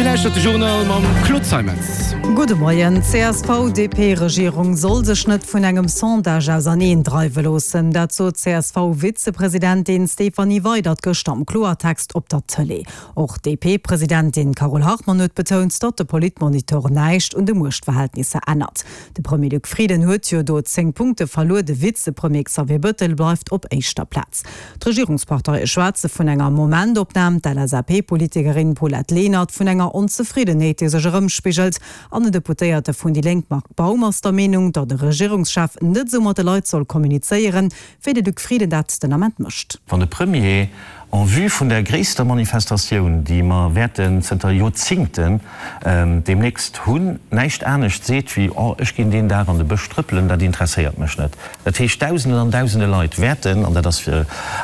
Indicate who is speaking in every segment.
Speaker 1: Dir lauschtert de Journal mam Claude Zeimetz.
Speaker 2: Gudde Moien. D'CSV-DP-Regierung soll sech net vun engem Sondage auserneen dreiwe loossen. Dat sot d'CSV-Vizepresidentin Stéphanie Weydert gëschter am Kloertext op der Tëlee. Och d'DP-Presidentin Carole Hartmann huet betount, datt de Politmonitor näischt un de Muechtverhältnisser ännert. De Premier Luc Frieden huet jo do 10 Punkte verluer, de Vizepremier Xavier Bëttel bleift op éischter Plaz. D'Regierungsparteie schwätze vun enger Momentopnam, d'LSAP-Politikerin Paulette Lenert vun enger Onzefriddenheet, déi sech erëmspigelt. An den Deputéierte vun déi Lénk Marc Baum ass der Meenung, datt e Regierungschef net esou mat de Leit soll kommunizéieren, wéi de Luc Frieden dat den Ament mécht.
Speaker 3: Wann de Premier en vue vun der gréisster Manifestatioun, déi mer wäerten zënter Joerzingten deemnächst hunn, näischt anescht seet wéi, Oh, ech ginn deen Dag an de Bësch trëppelen, dat interesséiert mech net. Dat heescht, Dausenden an Dausende Leit wäerten, an dat ass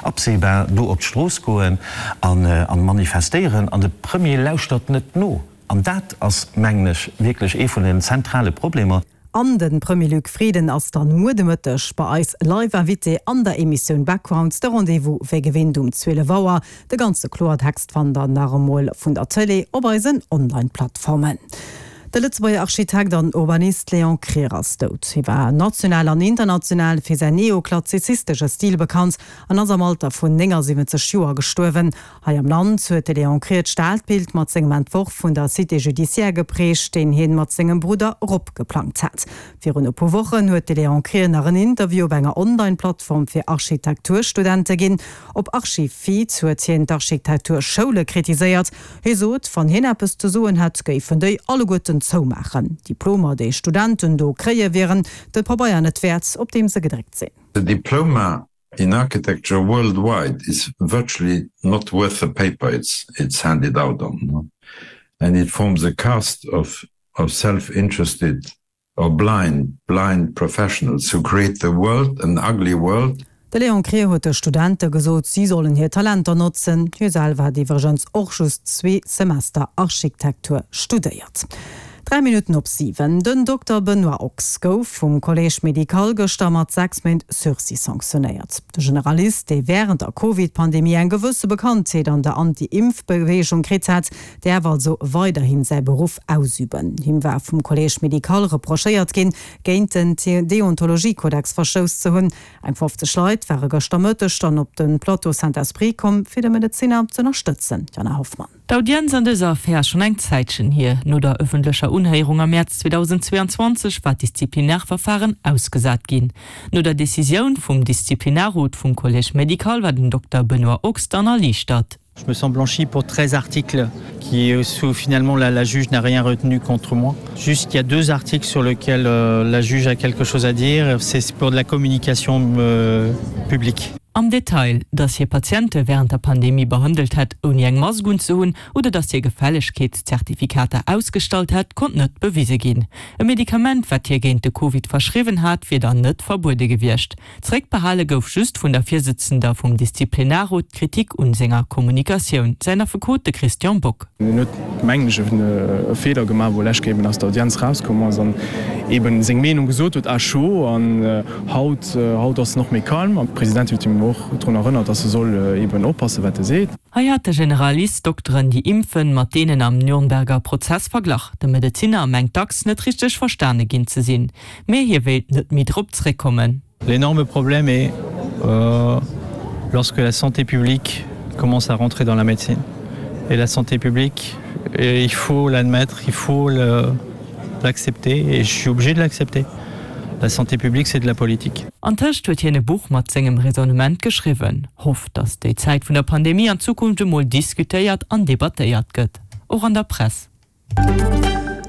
Speaker 3: absehbar, do op d'Strooss goen a manifestéieren, an de Premier lauschtert net no. An dat ass, mengen ech, wierklech ee vun den zentrale Problemer.
Speaker 2: An de Premier Luc Frieden ass dann muer de Mëtteg bei eis live Invité an der Emissioun Background. De Rendez-vous wéi gewinnt um 12 Auer. De ganze Kloertext fannt der nach emol vun der Tëlee op eisen Online-Plattformen. De Lëtzebuerger Architekt an Urbanist Léon Krier ass dout. Hie war national an international fir säin neoklassizistesche Stil bekannt an ass am Alter vun 79 Joer gestuerwen. Hei am Land huet de Léon Krier d'Stadbild mat sengem Entworf vun der Cité judiciaire geprägt, deen hien mat sengem Brudder Rob geplangt hat. Virun e puer Wochen huet de Léon Krier nach en Interview op enger Online-Plattform fir Architekturstudente ginn. Op Archifeed huet hien d'Architekturschoule kritiséiert. Hie sot, wann hien eppes ze soen hätt, géifen déi alleguerten zoumaachen. D'Diplomer, déi Studenten do kréie wieren de Pabeier net wäert, op deem se gedréckt sinn.
Speaker 4: The diploma in architecture worldwide is virtually not worth the paper it's it's handed out on and it forms a caste of of self-interested or blind, blind professionals who create the world, an ugly world.
Speaker 2: De Léon Krier huet de Studente gesot, si sollen hir Talenter notzen. Hie selwer hat iwwregens och just zwee Semester Architektur studéiert. 3 Minutten op 7, Den Dokter Benoît Ochs gouf vum Collège médical gëschter mat 6 Méint Sursis sanktionéiert. De Generalist, dee wärend der Covid-Pandemie eng gewësse Bekanntheet an der Anti-Impf-Beweegung kritt hat, däerf also weiderhin säi Beruff ausüben. Him war vum Collège médical reprochéiert ginn, géint den Deontologiekodex verstouss ze hunn. Eng 50 Leit ware gëschter Mëtteg dann op de Plateau Saint-Esprit komm, fir de Medezinner z'ënnerstëtzen. Jana Hoffmann.
Speaker 5: D'Audienz an dëser Affär ass schonn eng Zäitchen hier. No der ëffentlecher Unhéierung am Mäerz 2022 war d'Disziplinarverfaren ausgesat ginn. No der Decisioun vum Disziplinarrot vum Collège médical war den Dokter Benoît Ochs dann erliichtert.
Speaker 6: Je me sens blanchi pour 13 articles qui sous finalement la, la juge n'a rien retenu contre moi. Juste il y a deux articles sur lesquels euh, la juge a quelque chose à dire, c'est pour de la communication euh, publique.
Speaker 5: Am Detail, dass hie Patiente wärend der Pandemie behandelt hätt, ouni eng Mask unzehunn, oder dass hie Gefällegkeetszertifikater ausgestallt hätt, konnt net bewise ginn. E Medikament, wat hie géint de Covid verschriwwen hat, wier dann net verbuede gewiescht. Zeréckbehale gouf just vun der Virsëtzender vum Disziplinarrot d'Kritik un senger Kommunikatioun, säin Affekot de Christian Bock.
Speaker 7: En huet, mengen ech, e Feeler gemaach, wou lech eben aus der Audienz rauskomm ass an eben seng Meenung gesot huet à chaud. An haut, haut ass en och méi calm an d'Presidentin huet him och drun erënnert, dass e soll eben oppassen, wat e seet.
Speaker 5: Hei hat de Generalist Dokteren, déi impfen, mat deenen am Nürnberger Prozess verglach. De Medezinner mengt dacks, net richteg verstane ginn ze sinn. Mee hie wéilt net méi drop zréckkommen.
Speaker 6: L'énorme problème est euh, lorsque la santé publique commence à rentrer dans la médecine. Et la santé publique, et il faut l'admettre, il faut l'accepter et je suis obligé de l'accepter. La santé publique, c'est de la politique.
Speaker 5: Antëscht huet hien e Buch mat sengem Raisonnement geschriwwen, hofft, datt déi Zäit vun der Pandemie an Zukunft emol diskutéiert an debattéiert gëtt, och an der Press.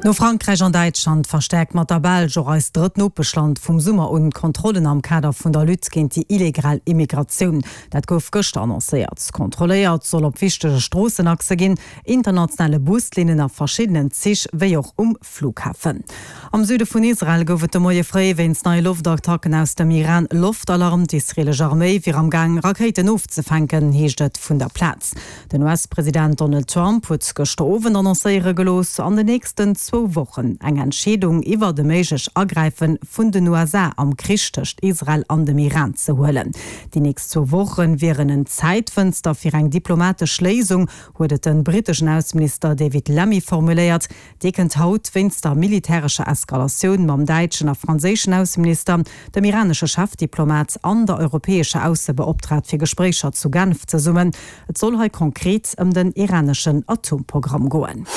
Speaker 2: No Frankräich an Däitschland verstäerkt mat der Belsch och eist drëtt Nopeschland vum Summer un d'Kontrollen am Kader vun der Lutte géint déi illegal Immigratioun. Dat gouf gëschter annoncéiert. Kontrolléiert soll op wichtege Stroossenachse ginn, internationale Buslinnen a verschiddenen Zich wéi och um Flughafen. Am Süde vun Israel gouf et de Moie fréi wéinst neie Loftattacken aus dem Iran Loftalarm. D'israeelesch Arméi wier am Gaang Rakéiten ofzefänken, heescht et vun der Plaz. Den US-President Donald Trump huet gëschter Owend annoncéiere gelooss, an den nächsten. zwou Wochen eng Entscheedung iwwert e méiglech Agräife vun den USA am Krich tëscht Israel an dem Iran ze huelen. Déi nächst zwou Woche wieren en Zäitfënster fir eng diplomatesch Léisung, huet et de britteschen Ausseminister David Lammy formuléiert. Dee kënnt haut wéinst der militärescher Eskalatioun mam däitschen a franséischen Ausseminister, dem iranesche Chefdiplomat an der europäescher Aussebeoptraagt fir Gespréicher zu Genf zesummen. Et soll hei konkret ëm den iraneschen Atomprogramm goen.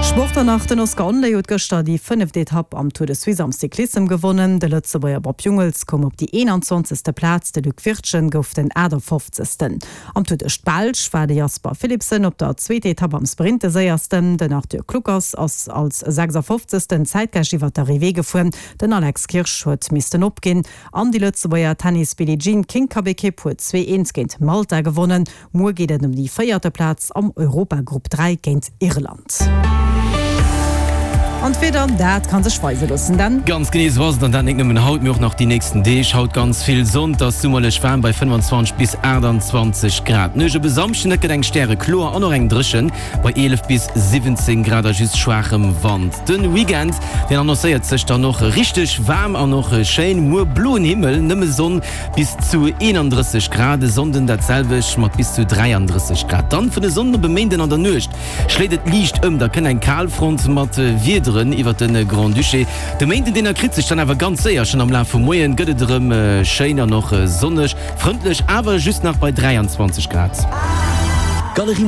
Speaker 2: Sport dann nach, Den Oscar Onley huet gëschter déi fënneft Etapp am Tour de Suisse am Cyclissem gewonnen. De Lëtzebuerger Bob Jungels koum op déi 21. Plaz, de Luc Wirtgen gouf den 58. Am Tour duerch d'Belsch war de Jasper Philipsen op der zweeter Etapp am Sprint de séiersten. Den Arthur Kluckers ass als 56. Zäitgläich iwwer d'Arrivée gefuer. Den Alex Kirsch huet missten opginn. An déi Lëtzebuerger Tennis Billie Jean King Cup Ekipp huet 2, 1 géint Malta gewonnen. Muer geet et ëm déi véierte Plaz am Europagrupp 3 géint Irland. An d'Wieder, dat ka sech weise loossen, Dan.
Speaker 1: Ganz genee esou ass et, an dat nik nëmmen haut, mee och nach déi nächsten Deeg. Haut ganz vill Sonn, 't ass summerlech waarm bei 25 bis 28 Grad. D'Nuecht op e Samschden, et gëtt eng stärekloer an och eng dréchen bei 11 bis 17 Grad a just schwaachem Wand. De Weekend, deen annoncéiert sech dann och richteg waarm an och schéin. Muer bloen Himmel, nëmme Sonn, bis zu 31 Grad, e Sonnden dat selwecht mat bis zu 33 Grad. Dann vun e Sonnden op e Méinden an der Nuecht schléit et liicht ëm, da kënnt eng Kalfront mat Wiederen iwwert de Grand-Duché. De Méinden, deen erkritt sech dann awer ganz séier, schonn am Laf vum Moien gëtt et erëm schéin an och sonneg, frëndlech awer just nach bei 23 Grad.
Speaker 3: Galerie.